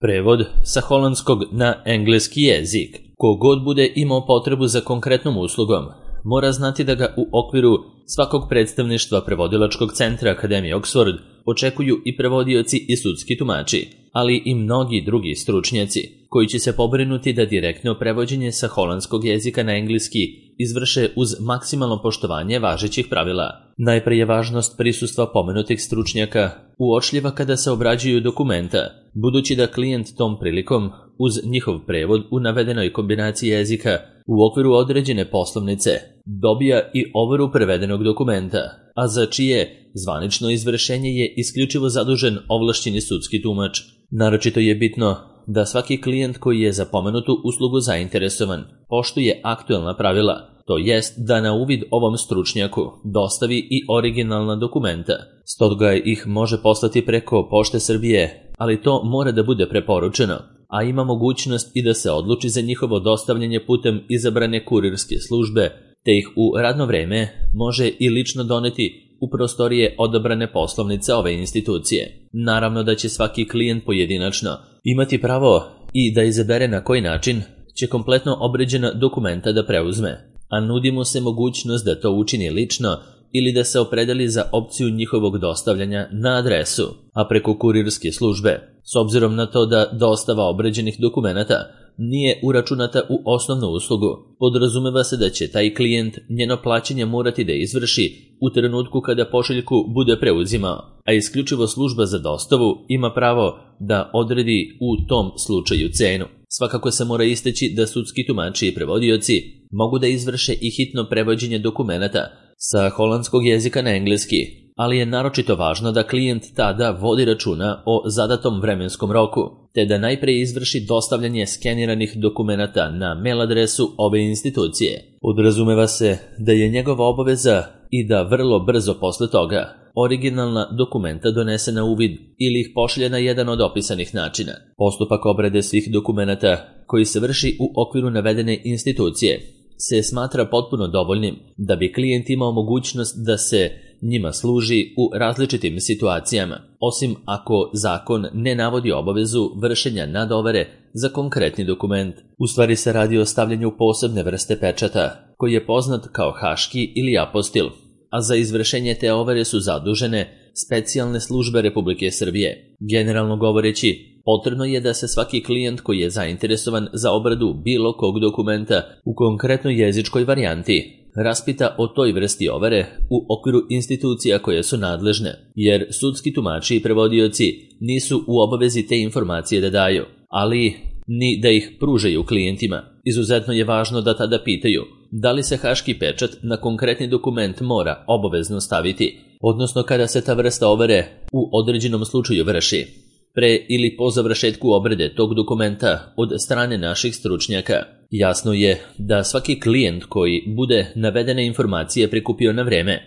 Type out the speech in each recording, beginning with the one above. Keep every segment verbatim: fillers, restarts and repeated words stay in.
Prevod sa holandskog na engleski jezik. Kogod bude imao potrebu za konkretnom uslugom, mora znati da ga u okviru svakog predstavništva prevodilačkog centra Akademije Oxford očekuju i prevodioci i sudski tumači, ali i mnogi drugi stručnjaci, koji će se pobrinuti da direktno prevođenje sa holandskog jezika na engleski izvrše uz maksimalno poštovanje važećih pravila. Najpre je važnost prisustva pomenutih stručnjaka uočljiva kada se obrađuju dokumenta, budući da klijent tom prilikom uz njihov prevod u navedenoj kombinaciji jezika u okviru određene poslovnice dobija i overu prevedenog dokumenta, a za čije zvanično izvršenje je isključivo zadužen ovlašćeni sudski tumač. Naročito je bitno da svaki klijent koji je za pomenutu uslugu zainteresovan poštuje aktuelna pravila, to jest da na uvid ovom stručnjaku dostavi i originalna dokumenta. Stoga ih može poslati preko Pošte Srbije, ali to mora da bude preporučeno, a ima mogućnost i da se odluči za njihovo dostavljanje putem izabrane kurirske službe, te ih u radno vreme može i lično doneti u prostorije odabrane poslovnice ove institucije. Naravno da će svaki klijent pojedinačno imati pravo i da izabere na koji način će kompletno obrađena dokumenta da preuzme, a nudi mu se mogućnost da to učini lično ili da se opredeli za opciju njihovog dostavljanja na adresu, a preko kurirske službe. S obzirom na to da dostava obrađenih dokumenata nije uračunata u osnovnu uslugu, podrazumeva se da će taj klijent njeno plaćanje morati da izvrši u trenutku kada pošiljku bude preuzimao, a isključivo služba za dostavu ima pravo da odredi u tom slučaju cenu. Svakako se mora istaći da sudski tumači i prevodioci mogu da izvrše i hitno prevođenje dokumenata sa holandskog jezika na engleski, ali je naročito važno da klijent tada vodi računa o zadatom vremenskom roku, te da najpre izvrši dostavljanje skeniranih dokumenata na mail adresu ove institucije. Podrazumeva se da je njegova obaveza i da vrlo brzo posle toga originalna dokumenta donese na uvid ili ih pošalje na jedan od opisanih načina. Postupak obrade svih dokumenata koji se vrši u okviru navedene institucije se smatra potpuno dovoljnim da bi klijent imao mogućnost da se njima služi u različitim situacijama, osim ako zakon ne navodi obavezu vršenja nadovere za konkretni dokument. U stvari se radi o stavljanju posebne vrste pečata, koji je poznat kao haški ili apostil, a za izvršenje te overe su zadužene specijalne službe Republike Srbije. Generalno govoreći, potrebno je da se svaki klijent koji je zainteresovan za obradu bilo kog dokumenta u konkretnoj jezičkoj varijanti raspita o toj vrsti overe u okviru institucija koje su nadležne, jer sudski tumači i prevodioci nisu u obavezi te informacije da daju, ali ni da ih pružaju klijentima. Izuzetno je važno da tada pitaju da li se haški pečat na konkretni dokument mora obavezno staviti, odnosno kada se ta vrsta overe u određenom slučaju vrši, pre ili po završetku obrade tog dokumenta od strane naših stručnjaka. Jasno je da svaki klijent koji bude navedene informacije prikupio na vreme,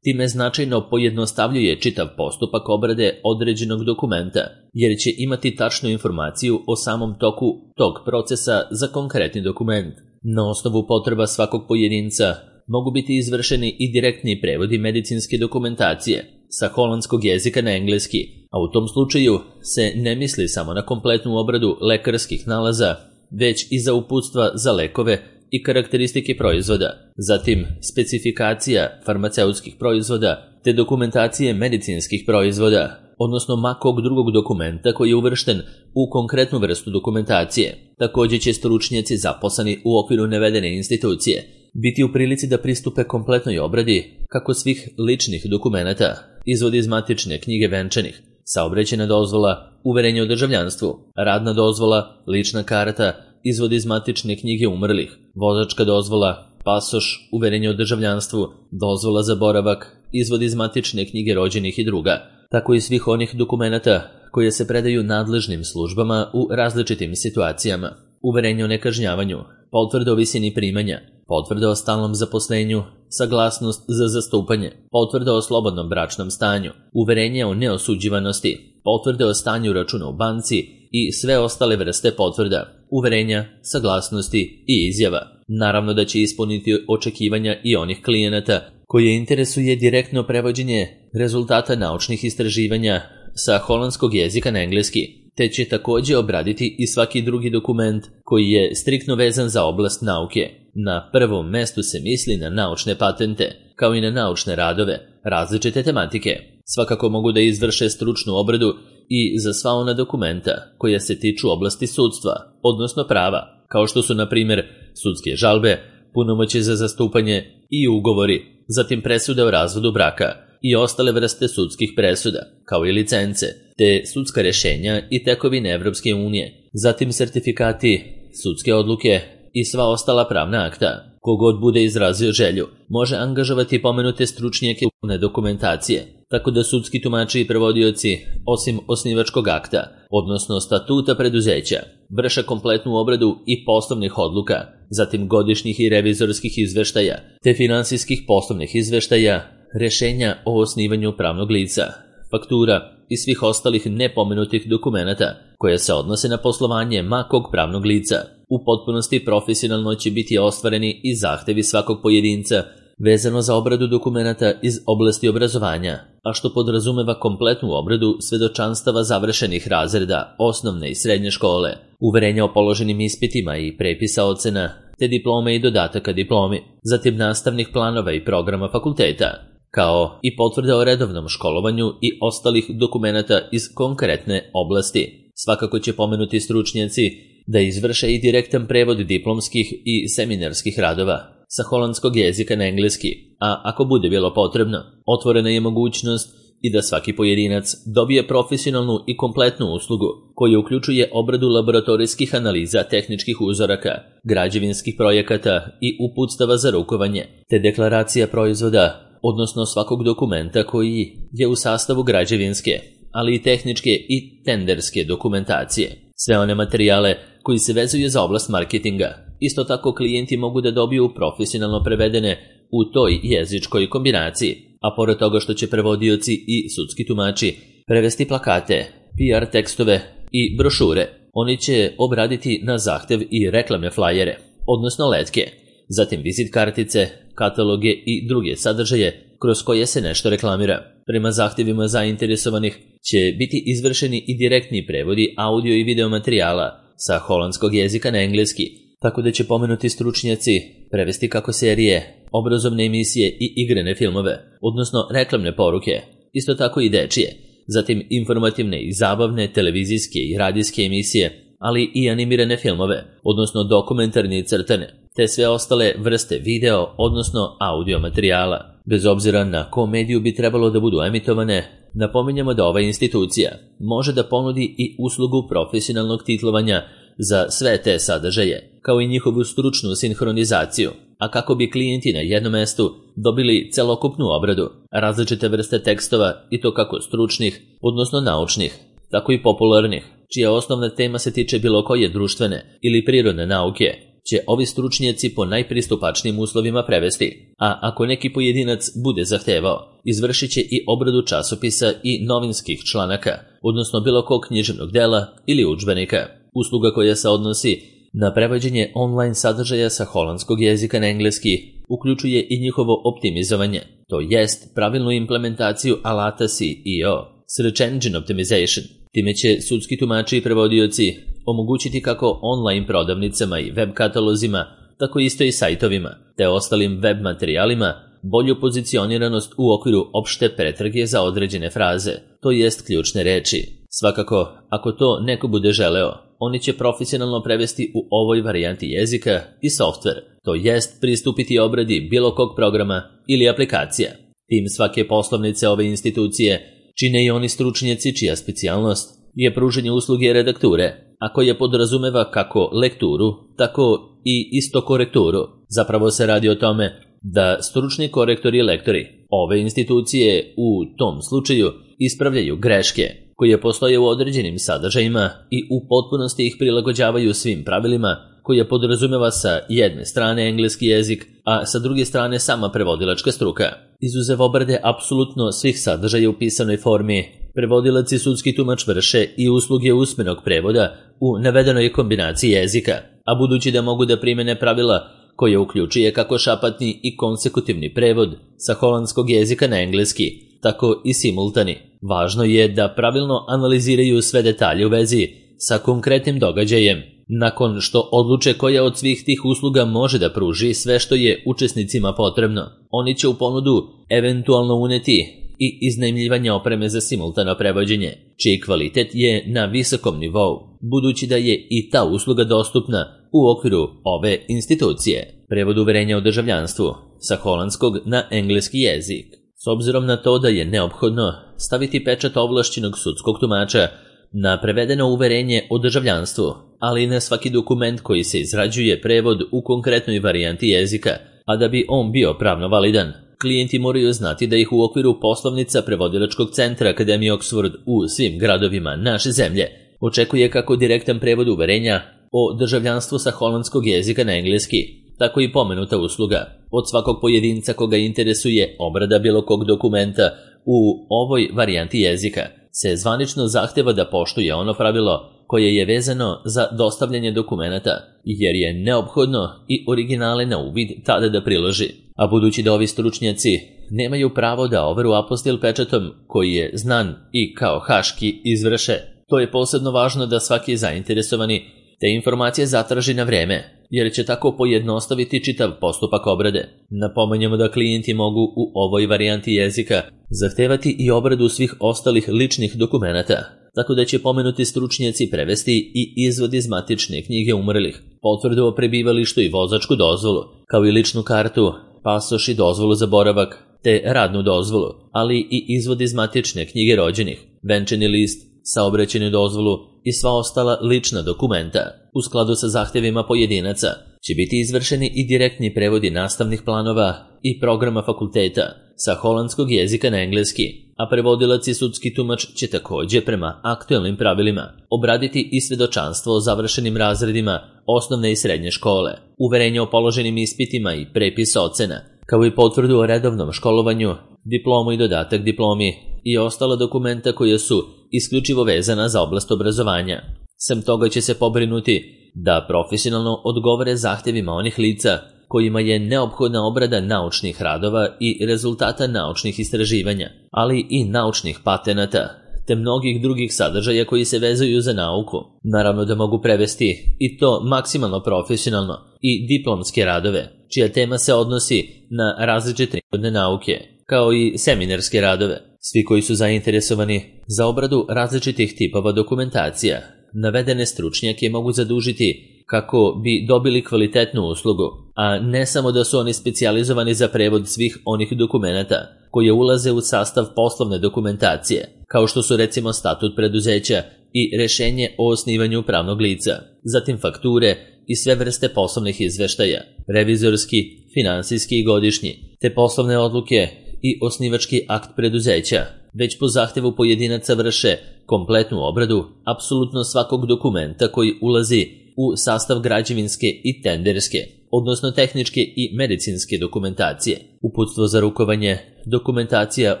time značajno pojednostavljuje čitav postupak obrade određenog dokumenta, jer će imati tačnu informaciju o samom toku tog procesa za konkretni dokument. Na osnovu potreba svakog pojedinca mogu biti izvršeni i direktni prevodi medicinske dokumentacije sa holandskog jezika na engleski, a u tom slučaju se ne misli samo na kompletnu obradu lekarskih nalaza, već i za uputstva za lekove i karakteristike proizvoda, zatim specifikacija farmaceutskih proizvoda te dokumentacije medicinskih proizvoda, odnosno ma kog drugog dokumenta koji je uvršten u konkretnu vrstu dokumentacije. Također će stručnjaci zaposleni u okviru navedene institucije biti u prilici da pristupe kompletnoj obradi kako svih ličnih dokumenata, izvodi iz matične knjige venčanih, saobraćajna dozvola, uverenje o državljanstvu, radna dozvola, lična karta, izvod iz matične knjige umrlih, vozačka dozvola, pasoš, uverenje o državljanstvu, dozvola za boravak, izvod iz matične knjige rođenih i druga, tako i svih onih dokumenata koje se predaju nadležnim službama u različitim situacijama, uverenje o nekažnjavanju, potvrda o visini primanja, potvrda o stalnom zaposlenju, saglasnost za zastupanje, potvrda o slobodnom bračnom stanju, uverenje o neosuđivanosti, potvrde o stanju računa u banci i sve ostale vrste potvrda, uverenja, saglasnosti i izjava. Naravno da će ispuniti očekivanja i onih klijenata koje interesuje direktno prevođenje rezultata naučnih istraživanja sa holandskog jezika na engleski, te će takođe obraditi i svaki drugi dokument koji je striktno vezan za oblast nauke. Na prvom mestu se misli na naučne patente, kao i na naučne radove, različite tematike. Svakako mogu da izvrše stručnu obradu i za sva ona dokumenta koja se tiču oblasti sudstva, odnosno prava, kao što su na primjer sudske žalbe, punomoćje za zastupanje i ugovori, zatim presude o razvodu braka i ostale vrste sudskih presuda, kao i licence, te sudska rešenja i tekovine Evropske unije, zatim sertifikati, sudske odluke i sva ostala pravna akta. Kogod bude izrazio želju, može angažovati pomenute stručnjake na dokumentacije, tako da sudski tumači i prevodioci, osim osnivačkog akta, odnosno statuta preduzeća, vrše kompletnu obradu i poslovnih odluka, zatim godišnjih i revizorskih izveštaja, te finansijskih poslovnih izveštaja, rešenja o osnivanju pravnog lica, faktura i svih ostalih nepomenutih dokumenata koje se odnose na poslovanje makog pravnog lica. U potpunosti profesionalno će biti ostvareni i zahtevi svakog pojedinca vezano za obradu dokumenata iz oblasti obrazovanja, a što podrazumeva kompletnu obradu svedočanstava završenih razreda osnovne i srednje škole, uverenja o položenim ispitima i prepisa ocena, te diplome i dodataka diplomi, zatim nastavnih planova i programa fakulteta, kao i potvrde o redovnom školovanju i ostalih dokumenata iz konkretne oblasti. Svakako će pomenuti stručnjaci da izvrše i direktan prevod diplomskih i seminarskih radova sa holandskog jezika na engleski, a ako bude bilo potrebno, otvorena je mogućnost i da svaki pojedinac dobije profesionalnu i kompletnu uslugu koja uključuje obradu laboratorijskih analiza tehničkih uzoraka, građevinskih projekata i uputstava za rukovanje, te deklaracija proizvoda, odnosno svakog dokumenta koji je u sastavu građevinske, ali i tehničke i tenderske dokumentacije. Sve one materijale koji se vezuju za oblast marketinga. Isto tako klijenti mogu da dobiju profesionalno prevedene u toj jezičkoj kombinaciji, a pored toga što će prevodioci i sudski tumači prevesti plakate, P R tekstove i brošure, oni će obraditi na zahtev i reklamne flajere, odnosno letke, zatim vizit kartice, kataloge i druge sadržaje kroz koje se nešto reklamira. Prema zahtevima zainteresovanih će biti izvršeni i direktni prevodi audio i video materijala sa holandskog jezika na engleski, tako da će pomenuti stručnjaci prevesti kako serije, obrazovne emisije i igrane filmove, odnosno reklamne poruke, isto tako i dečije, zatim informativne i zabavne televizijske i radijske emisije, ali i animirane filmove, odnosno dokumentarne i crtane, te sve ostale vrste video, odnosno audio materijala. Bez obzira na kom mediju bi trebalo da budu emitovane, napominjemo da ova institucija može da ponudi i uslugu profesionalnog titlovanja za sve te sadržaje, kao i njihovu stručnu sinhronizaciju, a kako bi klijenti na jednom mestu dobili celokupnu obradu, različite vrste tekstova i to kako stručnih, odnosno naučnih, tako i popularnih, čija osnovna tema se tiče bilo koje društvene ili prirodne nauke, će ovi stručnjaci po najpristupačnijim uslovima prevesti, a ako neki pojedinac bude zahtevao, izvršit će i obradu časopisa i novinskih članaka, odnosno bilo kog književnog dela ili udžbenika. Usluga koja se odnosi na prevođenje online sadržaja sa holandskog jezika na engleski uključuje i njihovo optimizovanje, to jest pravilnu implementaciju alata S E O, Search Engine Optimization. Time će sudski tumači i prevodioci omogućiti kako online prodavnicama i web katalozima, tako isto i sajtovima, te ostalim web materijalima, bolju pozicioniranost u okviru opšte pretrage za određene fraze, to jest ključne reči. Svakako, ako to neko bude želeo, oni će profesionalno prevesti u ovoj varijanti jezika i softver, to jest pristupiti obradi bilo kog programa ili aplikacija. Tim svake poslovnice ove institucije čine i oni stručnjaci čija specijalnost je pružanje usluge redakture, a koje podrazumeva kako lekturu, tako i isto korekturu. Zapravo se radi o tome da stručni korektori i lektori ove institucije u tom slučaju ispravljaju greške koje postoje u određenim sadržajima i u potpunosti ih prilagođavaju svim pravilima koje podrazumeva sa jedne strane engleski jezik, a sa druge strane sama prevodilačka struka. Izuzev obrade apsolutno svih sadržaja u pisanoj formi, prevodilac i sudski tumač vrše i usluge usmenog prevoda u navedenoj kombinaciji jezika, a budući da mogu da primene pravila koje uključuje kako šapatni i konsekutivni prevod sa holandskog jezika na engleski, tako i simultani, Važno je da pravilno analiziraju sve detalje u vezi sa konkretnim događajem. Nakon što odluče koja od svih tih usluga može da pruži sve što je učesnicima potrebno, oni će u ponudu eventualno uneti i iznajmljivanje opreme za simultano prevođenje, čiji kvalitet je na visokom nivou, budući da je i ta usluga dostupna u okviru ove institucije. Prevod uverenja o državljanstvu sa holandskog na engleski jezik. S obzirom na to da je neophodno staviti pečat ovlašćenog sudskog tumača na prevedeno uverenje o državljanstvu, ali i na svaki dokument koji se izrađuje prevod u konkretnoj varijanti jezika, a da bi on bio pravno validan, klijenti moraju znati da ih u okviru poslovnica prevodilačkog centra Akademije Oxford u svim gradovima naše zemlje očekuje kako direktan prevod uverenja o državljanstvu sa holandskog jezika na engleski, tako i pomenuta usluga od svakog pojedinca koga interesuje obrada bilo kog dokumenta u ovoj varijanti jezika se zvanično zahteva da poštuje ono pravilo koje je vezano za dostavljanje dokumenata, jer je neophodno i originale na uvid tada da priloži. A budući da ovi stručnjaci nemaju pravo da overu apostil pečatom koji je znan i kao haški izvrše, to je posebno važno da svaki zainteresovani te informacije zatraži na vreme, jer će tako pojednostaviti čitav postupak obrade. Napominjemo da klijenti mogu u ovoj varijanti jezika zahtevati i obradu svih ostalih ličnih dokumenata, tako da će pomenuti stručnjaci prevesti i izvod iz matične knjige umrlih, potvrdu o prebivalištu i vozačku dozvolu, kao i ličnu kartu, pasoš i dozvolu za boravak, te radnu dozvolu, ali i izvod iz matične knjige rođenih, venčani list, saobraćajnu dozvolu i sva ostala lična dokumenta. U skladu sa zahtevima pojedinaca će biti izvršeni i direktni prevodi nastavnih planova i programa fakulteta sa holandskog jezika na engleski, a prevodilac i sudski tumač će takođe prema aktuelnim pravilima obraditi i svedočanstvo o završenim razredima osnovne i srednje škole, uverenje o položenim ispitima i prepis ocena, kao i potvrdu o redovnom školovanju, diplomu i dodatak diplomi i ostala dokumenta koja su isključivo vezana za oblast obrazovanja. Sem toga će se pobrinuti da profesionalno odgovore zahtevima onih lica kojima je neophodna obrada naučnih radova i rezultata naučnih istraživanja, ali i naučnih patenata, te mnogih drugih sadržaja koji se vezuju za nauku. Naravno da mogu prevesti i to maksimalno profesionalno i diplomske radove, čija tema se odnosi na različite prirodne nauke, kao i seminarske radove. Svi koji su zainteresovani za obradu različitih tipova dokumentacija, navedene stručnjake mogu zadužiti kako bi dobili kvalitetnu uslugu, a ne samo da su oni specijalizovani za prevod svih onih dokumenata koje ulaze u sastav poslovne dokumentacije, kao što su recimo statut preduzeća i rešenje o osnivanju pravnog lica, zatim fakture i sve vrste poslovnih izveštaja, revizorski, finansijski i godišnji, te poslovne odluke i osnivački akt preduzeća, već po zahtevu pojedinaca vrše kompletnu obradu apsolutno svakog dokumenta koji ulazi u sastav građevinske i tenderske, odnosno tehničke i medicinske dokumentacije, uputstvo za rukovanje, dokumentacija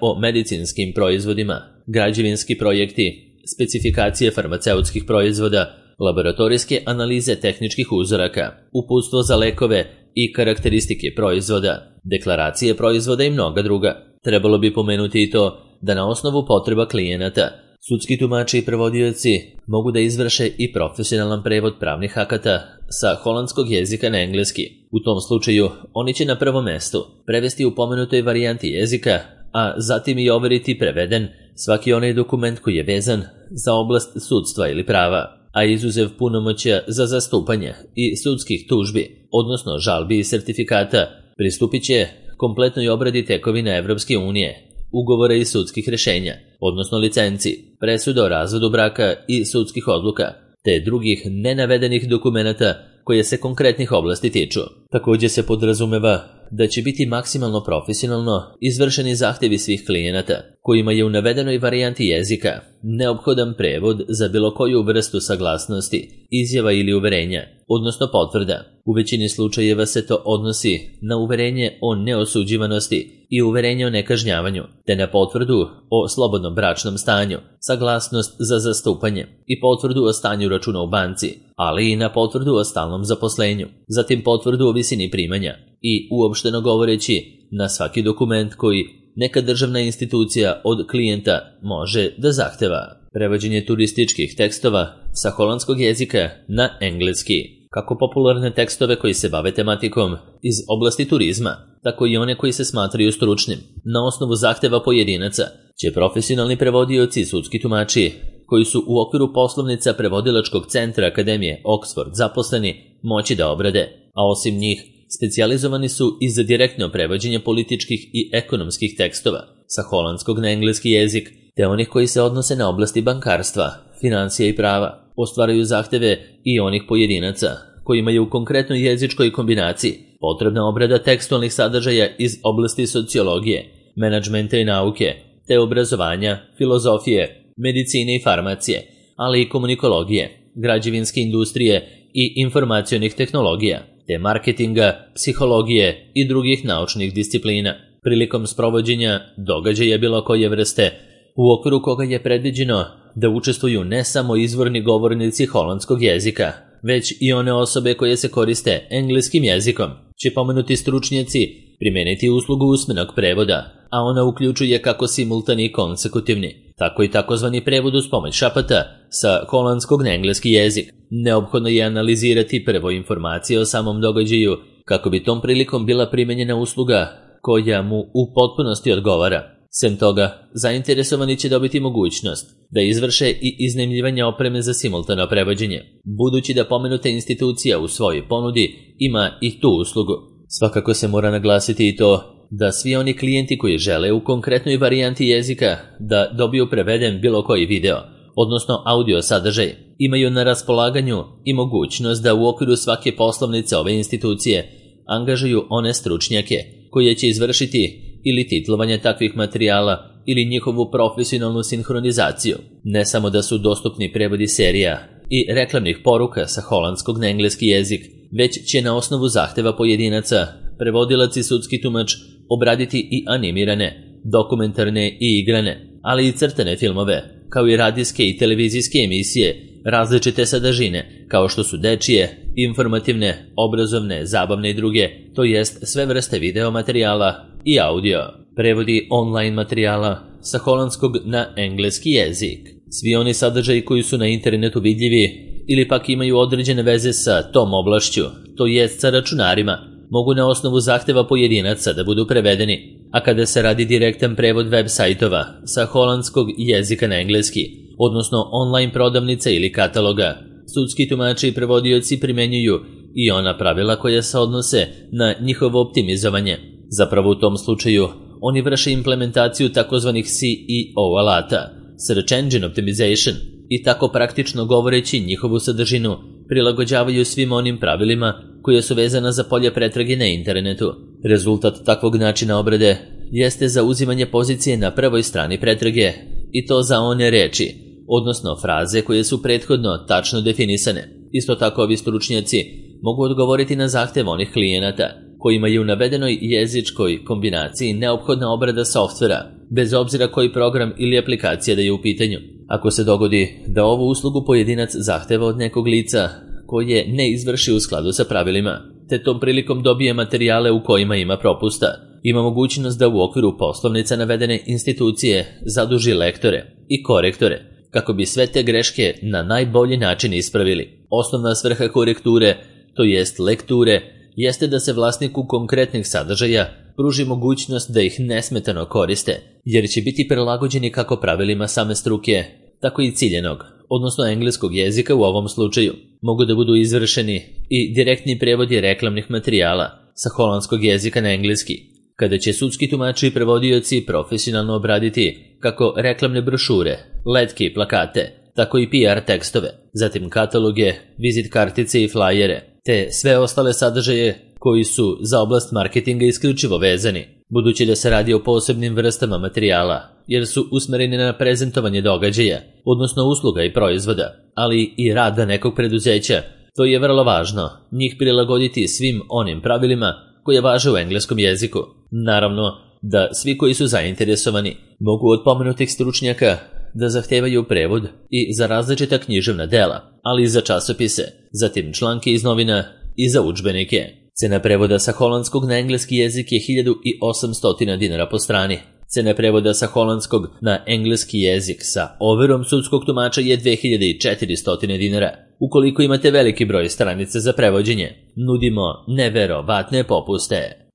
o medicinskim proizvodima, građevinski projekti, specifikacije farmaceutskih proizvoda, laboratorijske analize tehničkih uzoraka, uputstvo za lekove i karakteristike proizvoda, deklaracije proizvoda i mnoga druga. Trebalo bi pomenuti i to da na osnovu potreba klijenata sudski tumači i prevodioci mogu da izvrše i profesionalan prevod pravnih akata sa holandskog jezika na engleski. U tom slučaju oni će na prvom mestu prevesti u pomenutoj varijanti jezika, a zatim i overiti preveden svaki onaj dokument koji je vezan za oblast sudstva ili prava, a izuzev punomoćja za zastupanje i sudskih tužbi, odnosno žalbi i sertifikata, pristupit će kompletnoj obradi tekovina Evropske unije, ugovora i sudskih rešenja, odnosno licenci, presuda o razvodu braka i sudskih odluka, te drugih nenavedenih dokumenata koje se konkretnih oblasti tiču. Takođe se podrazumeva da će biti maksimalno profesionalno izvršeni zahtevi svih klijenata, kojima je u navedenoj varijanti jezika neophodan prevod za bilo koju vrstu saglasnosti, izjava ili uverenja, odnosno potvrda. U većini slučajeva se to odnosi na uverenje o neosuđivanosti i uverenje o nekažnjavanju, te na potvrdu o slobodnom bračnom stanju, saglasnost za zastupanje i potvrdu o stanju računa u banci, ali i na potvrdu o stalnom zaposlenju, zatim potvrdu o visini primanja i uopšteno govoreći na svaki dokument koji neka državna institucija od klijenta može da zahteva prevođenje turističkih tekstova sa holandskog jezika na engleski, kako popularne tekstove koji se bave tematikom iz oblasti turizma, tako i one koji se smatraju stručnim. Na osnovu zahteva pojedinaca će profesionalni prevodioci i sudski tumači, koji su u okviru poslovnica prevodilačkog centra Akademije Oxford zaposleni, moći da obrade, a osim njih, specijalizovani su i za direktno prevođenje političkih i ekonomskih tekstova sa holandskog na engleski jezik, te onih koji se odnose na oblasti bankarstva, financija i prava. Ostvaraju zahteve i onih pojedinaca kojima je u konkretnoj jezičkoj kombinaciji potrebna obrada tekstualnih sadržaja iz oblasti sociologije, menadžmenta i nauke, te obrazovanja, filozofije, medicine i farmacije, ali i komunikologije, građevinske industrije i informacionih tehnologija, te marketinga, psihologije i drugih naučnih disciplina. Prilikom sprovođenja događaja bilo koje vrste, u okviru koga je predviđeno da učestvuju ne samo izvorni govornici holandskog jezika, već i one osobe koje se koriste engleskim jezikom, će pomenuti stručnjaci primeniti uslugu usmenog prevoda, a ona uključuje kako simultani i konsekutivni, tako i takozvani prevod uz pomoć šapata sa holandskog na engleski jezik. Neophodno je analizirati prvo informacije o samom događaju kako bi tom prilikom bila primenjena usluga koja mu u potpunosti odgovara. Sem toga, zainteresovani će dobiti mogućnost da izvrše i iznajmljivanje opreme za simultano prevođenje, budući da pomenuta institucija u svojoj ponudi ima i tu uslugu. Svakako se mora naglasiti i to da svi oni klijenti koji žele u konkretnoj varijanti jezika da dobiju preveden bilo koji video, odnosno audio sadržaj, imaju na raspolaganju i mogućnost da u okviru svake poslovnice ove institucije angažuju one stručnjake koje će izvršiti ili titlovanje takvih materijala ili njihovu profesionalnu sinhronizaciju. Ne samo da su dostupni prevodi serija i reklamnih poruka sa holandskog na engleski jezik, već će na osnovu zahteva pojedinaca prevodilac i sudski tumač obraditi i animirane, dokumentarne i igrane, ali i crtane filmove, kao i radijske i televizijske emisije, različite sadržine, kao što su dečije, informativne, obrazovne, zabavne i druge, to jest sve vrste video materijala i audio, prevodi online materijala sa holandskog na engleski jezik. Svi oni sadržaji koji su na internetu vidljivi ili pak imaju određene veze sa tom oblašću, to jest sa računarima, mogu na osnovu zahteva pojedinaca da budu prevedeni, a kada se radi direktan prevod web sajtova sa holandskog jezika na engleski, odnosno online prodavnica ili kataloga, sudski tumači i prevodioci primenjuju i ona pravila koja se odnose na njihovo optimizovanje. Zapravo u tom slučaju oni vrše implementaciju takozvanih C E O alata, Search Engine Optimization, i tako praktično govoreći njihovu sadržinu prilagođavaju svim onim pravilima koje su vezana za polje pretrage na internetu. Rezultat takvog načina obrade jeste zauzimanje pozicije na prvoj strani pretrage, i to za one reči, odnosno fraze koje su prethodno tačno definisane. Isto tako ovi stručnjaci mogu odgovoriti na zahtev onih klijenata kojima je u navedenoj jezičkoj kombinaciji neophodna obrada softvera, bez obzira koji program ili aplikacija da je u pitanju. Ako se dogodi da ovu uslugu pojedinac zahteva od nekog lica koje ne izvrši u skladu sa pravilima, te tom prilikom dobije materijale u kojima ima propusta, ima mogućnost da u okviru poslovnica navedene institucije zaduži lektore i korektore, kako bi sve te greške na najbolji način ispravili. Osnovna svrha korekture, to jest lekture, jeste da se vlasniku konkretnih sadržaja pruži mogućnost da ih nesmetano koriste, jer će biti prilagođeni kako pravilima same struke, tako i ciljenog, odnosno engleskog jezika u ovom slučaju. Mogu da budu izvršeni i direktni prevodi reklamnih materijala sa holandskog jezika na engleski, kada će sudski tumači i prevodioci profesionalno obraditi kako reklamne brošure, letke i plakate, tako i P R tekstove, zatim kataloge, vizit kartice i flajere, te sve ostale sadržaje koji su za oblast marketinga isključivo vezani, budući da se radi o posebnim vrstama materijala, jer su usmereni na prezentovanje događaja, odnosno usluga i proizvoda, ali i rada nekog preduzeća. To je vrlo važno, njih prilagoditi svim onim pravilima koje važe u engleskom jeziku. Naravno da svi koji su zainteresovani mogu od pomenutih stručnjaka da zahtevaju prevod i za različita književna dela, ali i za časopise, zatim članke iz novina i za udžbenike. Cena prevoda sa holandskog na engleski jezik je hiljadu osamsto dinara po strani. Cena prevoda sa holandskog na engleski jezik sa overom sudskog tumača je dve hiljade četiristo dinara. Ukoliko imate veliki broj stranica za prevođenje, nudimo neverovatne popuste.